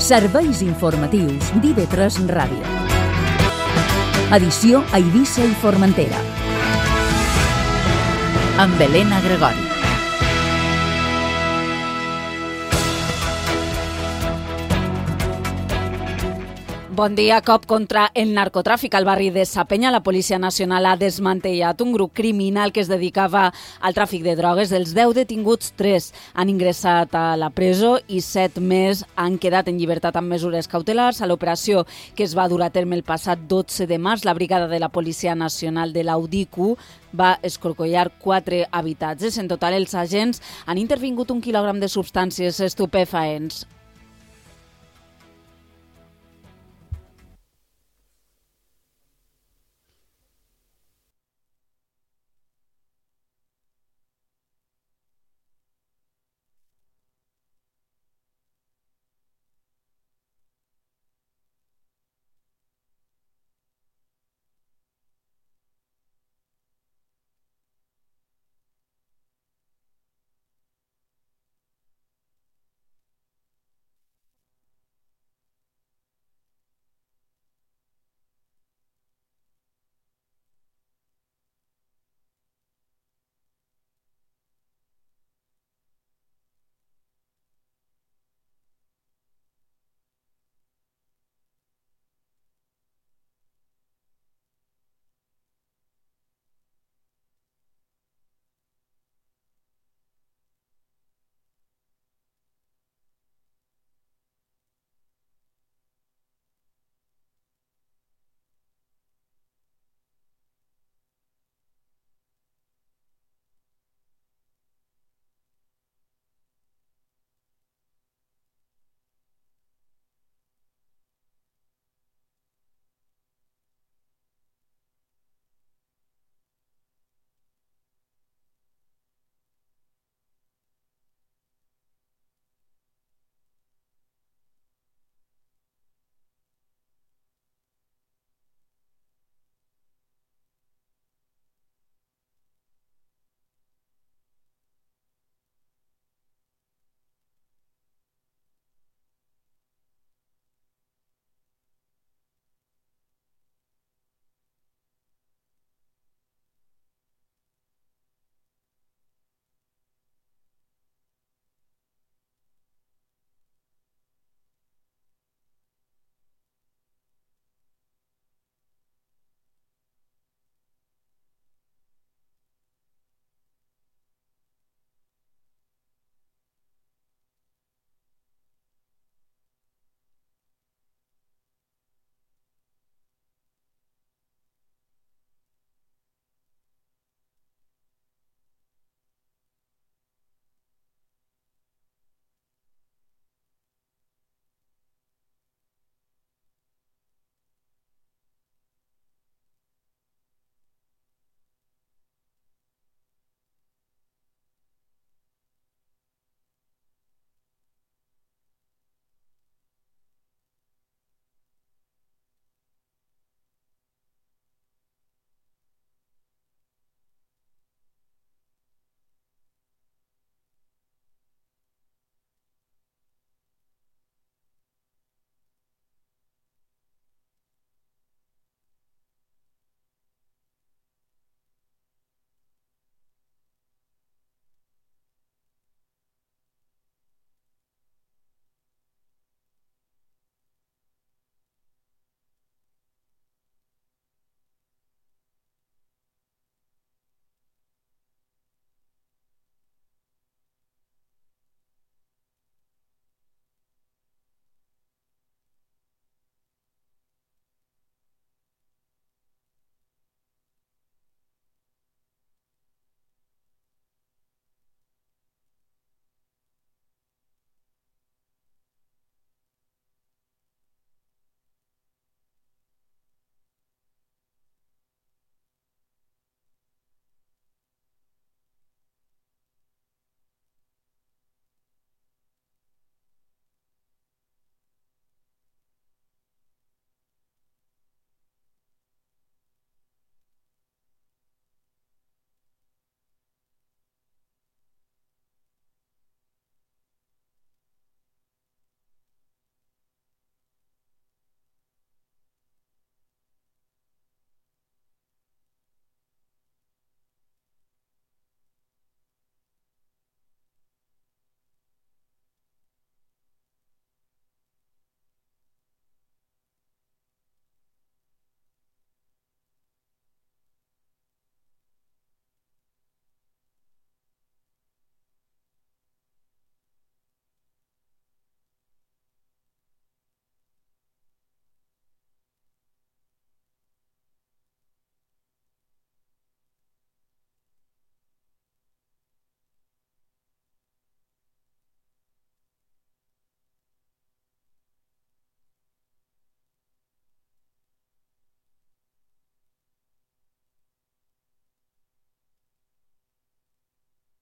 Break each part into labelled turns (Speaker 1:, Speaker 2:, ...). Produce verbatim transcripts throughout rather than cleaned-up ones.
Speaker 1: Serveis informatius d'I V tres Ràdio. Edició a Eivissa i Formentera. Amb Helena Gregori.
Speaker 2: Bon dia. Cop contra el narcotràfic al barri de Sa Penya. La Policia Nacional ha desmantellat un grup criminal que es dedicava al tràfic de drogues. Dels deu detinguts, tres han ingressat a la presó i set més han quedat en llibertat amb mesures cautelars. A l'operació que es va dur a terme el passat dotze de març, la brigada de la Policia Nacional de l'Audicu va escorcollar quatre habitatges. En total, els agents han intervingut un quilògram de substàncies estupefaents.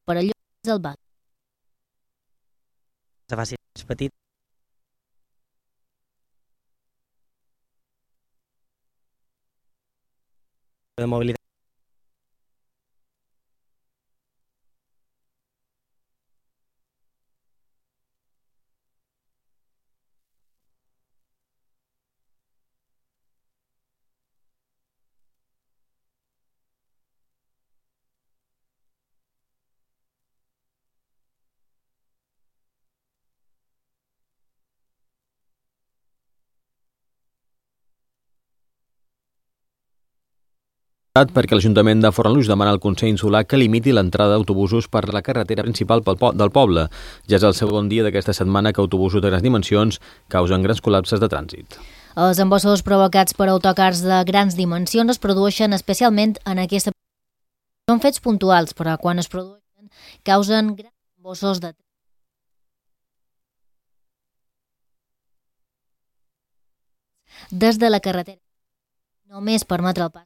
Speaker 3: per allò és el banc.
Speaker 4: Se faci més petit. De mobilitat.
Speaker 5: Perquè l'Ajuntament de Fornalutx demana al Consell Insular que limiti l'entrada d'autobusos per la carretera principal del poble. Ja és el segon dia d'aquesta setmana que autobusos de grans dimensions causen grans col·lapses de trànsit.
Speaker 3: Els embossos provocats per autocars de grans dimensions es produeixen especialment en aquesta... Són fets puntuals, però quan es produeixen causen grans embossos de... des de la carretera. Només permetre el pas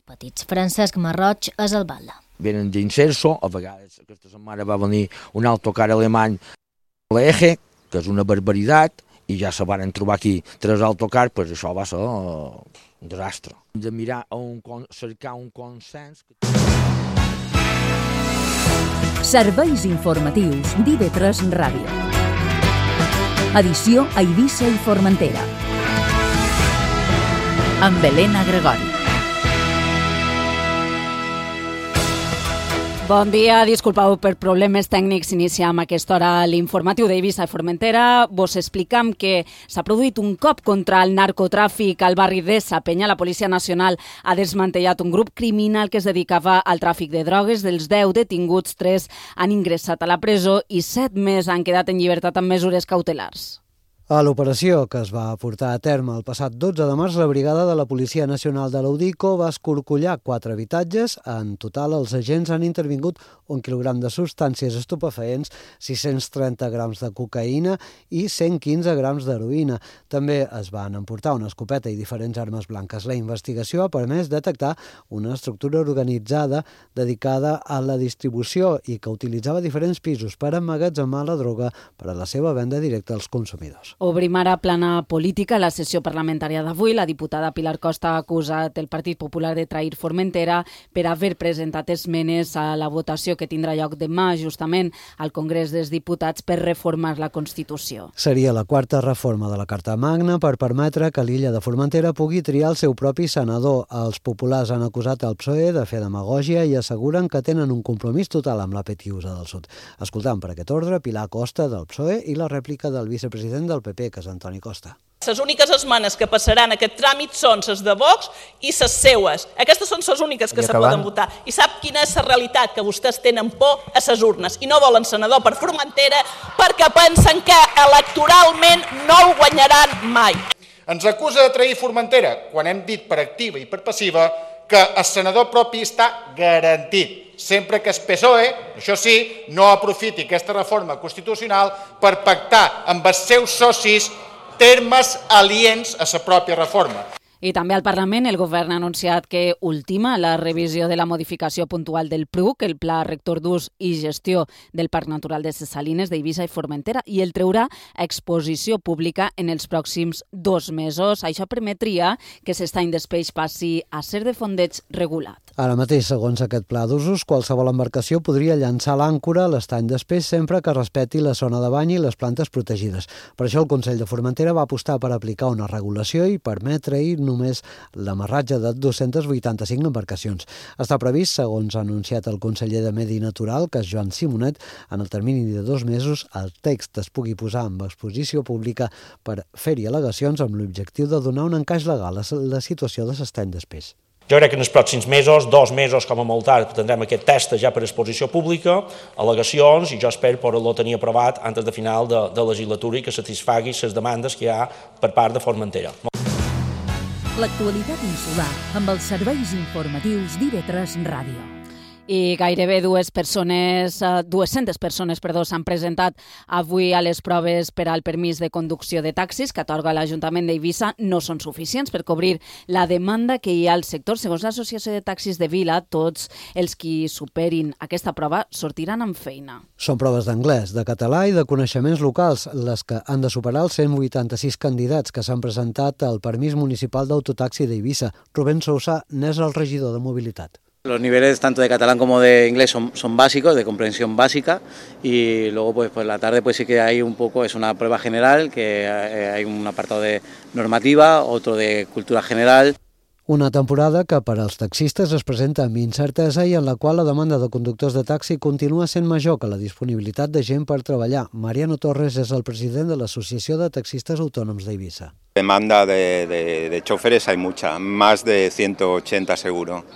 Speaker 3: petits. Francesc Marroig és el batlle.
Speaker 6: Venen d'inserso, a vegades aquesta setmana va venir un autocar alemany a l'Eje, que és una barbaritat, i ja se van trobar aquí tres autocars, doncs això va ser un desastre. Hem de mirar a un, cercar un consens.
Speaker 1: Serveis informatius d'I V tres Ràdio. Edició a Eivissa i Formentera. Amb Helena Gregori.
Speaker 2: Bon dia, disculpeu per problemes tècnics. Iniciem a aquesta hora l'informatiu d'Eivissa i Formentera. Vos explicam que s'ha produït un cop contra el narcotràfic al barri de Sa Penya. La Policia Nacional ha desmantellat un grup criminal que es dedicava al tràfic de drogues. Dels deu detinguts, tres han ingressat a la presó i set més han quedat en llibertat amb mesures cautelars.
Speaker 7: A l'operació que es va portar a terme el passat dotze de març, la brigada de la Policia Nacional de l'Udico va escorcollar quatre habitatges. En total, els agents han intervingut un quilogram de substàncies estupefaents, sis-cents trenta grams de cocaïna i cent quinze grams d'heroïna. També es van emportar una escopeta i diferents armes blanques. La investigació ha permès detectar una estructura organitzada dedicada a la distribució i que utilitzava diferents pisos per emmagatzemar la droga per a la seva venda directa als consumidors.
Speaker 2: Obrim ara plana política. La sessió parlamentària d'avui, la diputada Pilar Costa ha acusat el Partit Popular de trair Formentera per haver presentat esmenes a la votació que tindrà lloc demà, justament al Congrés dels Diputats, per reformar la Constitució.
Speaker 7: Seria la quarta reforma de la Carta Magna per permetre que l'illa de Formentera pugui triar el seu propi senador. Els populars han acusat el P S O E de fer demagògia i asseguren que tenen un compromís total amb la Petiusa del Sud. Escoltam per aquest ordre Pilar Costa del P S O E i la rèplica del vicepresident del P P, que és Antoni Costa.
Speaker 8: Les úniques esmenes que passaran aquest tràmit són les de Vox i les seues. Aquestes són les úniques que se poden votar. I sap quina és la realitat? Que vostès tenen por a les urnes i no volen senador per Formentera perquè pensen que electoralment no el guanyaran mai.
Speaker 9: Ens acusa de trair Formentera quan hem dit per activa i per passiva que el senador propi està garantit, sempre que el P S O E, això sí, no aprofiti aquesta reforma constitucional per pactar amb els seus socis termes aliens a la pròpia reforma.
Speaker 2: I també al Parlament el govern ha anunciat que ultima la revisió de la modificació puntual del P R U C, el Pla Rector d'Ús i Gestió del Parc Natural de ses Salines d'Eivissa i Formentera, i el treurà a exposició pública en els pròxims dos mesos. Això permetria que l'estany d'espeix passi a ser de fondeig regulat.
Speaker 7: Ara mateix, segons aquest pla d'usos, qualsevol embarcació podria llançar l'àncora a l'estany d'espeix sempre que respecti la zona de bany i les plantes protegides. Per això el Consell de Formentera va apostar per aplicar una regulació i permetre-hi només l'amarratge de dues-centes vuitanta-cinc embarcacions. Està previst, segons ha anunciat el conseller de Medi Natural, que és Joan Simonet, en el termini de dos mesos el text es pugui posar en exposició pública per fer-hi al·legacions amb l'objectiu de donar un encaix legal a la situació de l'estany d'espeix.
Speaker 10: Jo crec que en els pròxims mesos, dos mesos com a molt tard, tindrem aquest test ja per exposició pública, al·legacions, i jo espero poder-lo tenir aprovat antes de final de, de legislatura i que satisfagui les demandes que hi ha per part de Formentera.
Speaker 1: L'actualitat insular amb els serveis informatius d'I V tres Ràdio.
Speaker 2: I gairebé dues persones, dues-centes persones, perdó, s'han presentat avui a les proves per al permís de conducció de taxis que atorga l'Ajuntament d'Eivissa. No són suficients per cobrir la demanda que hi ha al sector. Segons l'Associació de Taxis de Vila, tots els qui superin aquesta prova sortiran amb feina.
Speaker 7: Són proves d'anglès, de català i de coneixements locals, les que han de superar els cent vuitanta-sis candidats que s'han presentat al permís municipal d'autotaxi d'Eivissa. Rubén Sousa n'és el regidor de mobilitat.
Speaker 11: Los niveles tanto de catalán como de inglés son, son básicos, de comprensión básica, y luego pues por la tarde pues sí que hay un poco, es una prueba general, que hay un apartado de normativa, otro de cultura general.
Speaker 7: Una temporada que per als taxistes es presenta amb incertesa i en la qual la demanda de conductors de taxi continua sent major que la disponibilitat de gent per treballar. Mariano Torres és el president de l'Associació de Taxistes Autònoms d'Eivissa.
Speaker 12: Demanda de, de, de choferes hay mucha, más de ciento ochenta seguro.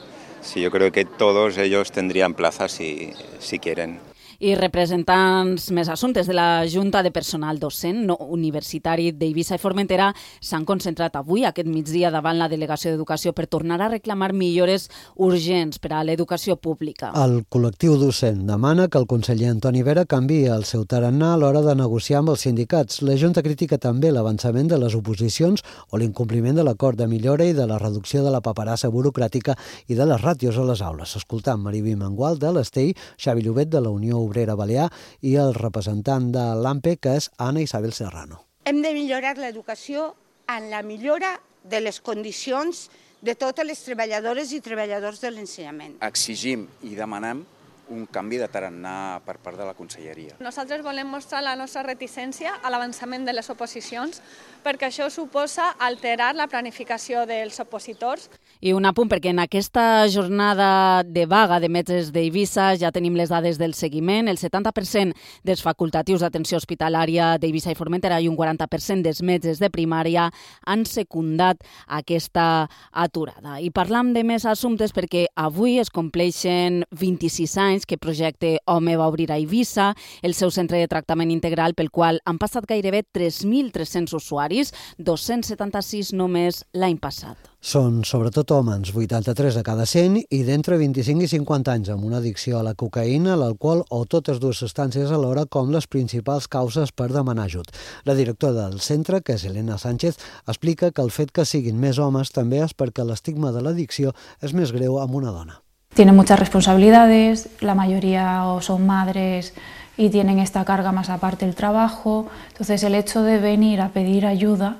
Speaker 12: Sí, yo creo que todos ellos tendrían plazas si, si quieren.
Speaker 2: I representants més assumptes de la Junta de Personal Docent no Universitari d'Eivissa i Formentera s'han concentrat avui, aquest migdia, davant la Delegació d'Educació per tornar a reclamar millores urgents per a l'educació pública.
Speaker 7: El col·lectiu docent demana que el conseller Antoni Vera canviï el seu tarannà a l'hora de negociar amb els sindicats. La Junta critica també l'avançament de les oposicions o l'incompliment de l'acord de millora i de la reducció de la paperassa burocràtica i de les ràtios a les aules. Escoltant Mariví Mengual de l'Estell, Xavi Llobet de la Unió Obrera Balear i el representant de l'A M P E, que és Anna Isabel Serrano.
Speaker 13: Hem de millorar l'educació en la millora de les condicions de totes les treballadores i treballadors de l'ensenyament.
Speaker 14: Exigim i demanem un canvi de tarannà per part de la Conselleria.
Speaker 15: Nosaltres volem mostrar la nostra reticència a l'avançament de les oposicions perquè això suposa alterar la planificació dels opositors.
Speaker 2: I un apunt, perquè en aquesta jornada de vaga de metges d'Eivissa ja tenim les dades del seguiment. El setanta per cent dels facultatius d'atenció hospitalària d'Eivissa i Formentera i un quaranta per cent dels metges de primària han secundat aquesta aturada. I parlam de més assumptes perquè avui es compleixen vint-i-sis anys que Projecte Home va obrir a Eivissa, el seu centre de tractament integral pel qual han passat gairebé tres mil tres-cents usuaris, dos-cents setanta-sis només l'any passat.
Speaker 7: Són sobretot homes, vuitanta-tres a cada cent, i d'entre vint-i-cinc i cinquanta anys, amb una addicció a la cocaïna, l'alcohol o totes dues substàncies alhora com les principals causes per demanar ajut. La directora del centre, que és Elena Sánchez, explica que el fet que siguin més homes també és perquè l'estigma de l'addicció és més greu amb una dona.
Speaker 16: Tienen muchas responsabilidades, la mayoría o son madres y tienen esta carga más aparte del trabajo, entonces el hecho de venir a pedir ayuda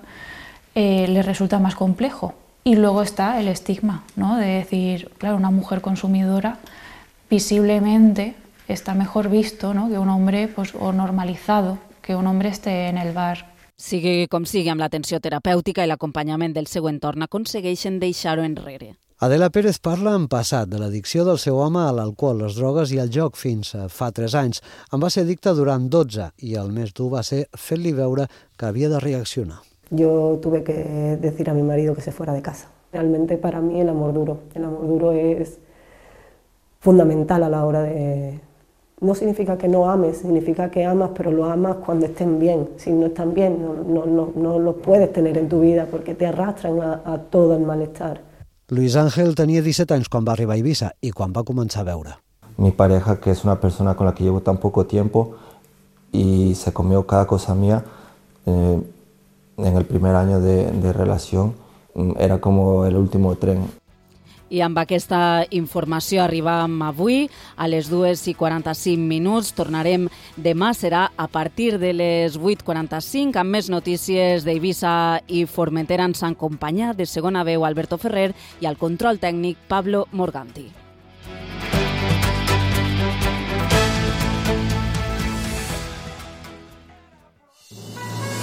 Speaker 16: eh, les resulta más complejo. Y luego está el estigma, ¿no? De decir, claro, una mujer consumidora visiblemente está mejor visto, ¿no? Que un hombre, pues, o normalizado, que un hombre esté en el bar.
Speaker 2: Sigui com sigui, amb l'atenció terapèutica i l'acompanyament del seu entorn aconsegueixen deixar-ho enrere.
Speaker 7: Adela Pérez parla en passat de l'addicció del seu home a l'alcohol, les drogues i el joc fins a fa tres anys. En va ser addicte durant dotze i el més dur va ser fer-li veure que havia de reaccionar.
Speaker 17: Yo tuve que decir a mi marido que se fuera de casa. Realmente para mí el amor duro, el amor duro es fundamental a la hora de... No significa que no ames, significa que amas, pero lo amas cuando estén bien. Si no están bien, no, no, no, no los puedes tener en tu vida porque te arrastran a, a todo el malestar.
Speaker 7: Luis Ángel tenia disset anys quan va arribar a Eivissa i quan va començar a beure.
Speaker 18: Mi pareja, que es una persona con la que llevo tan poco tiempo y se comió cada cosa mía, eh, en el primer año de, de relación, era como el último tren.
Speaker 2: I amb aquesta informació arribam avui a les dues i quaranta-cinc minuts. Tornarem demà, serà a partir de les vuit i quaranta-cinc, amb més notícies d'Eivissa i Formentera. Ens acompanya de segona veu Alberto Ferrer i al control tècnic Pablo Morganti.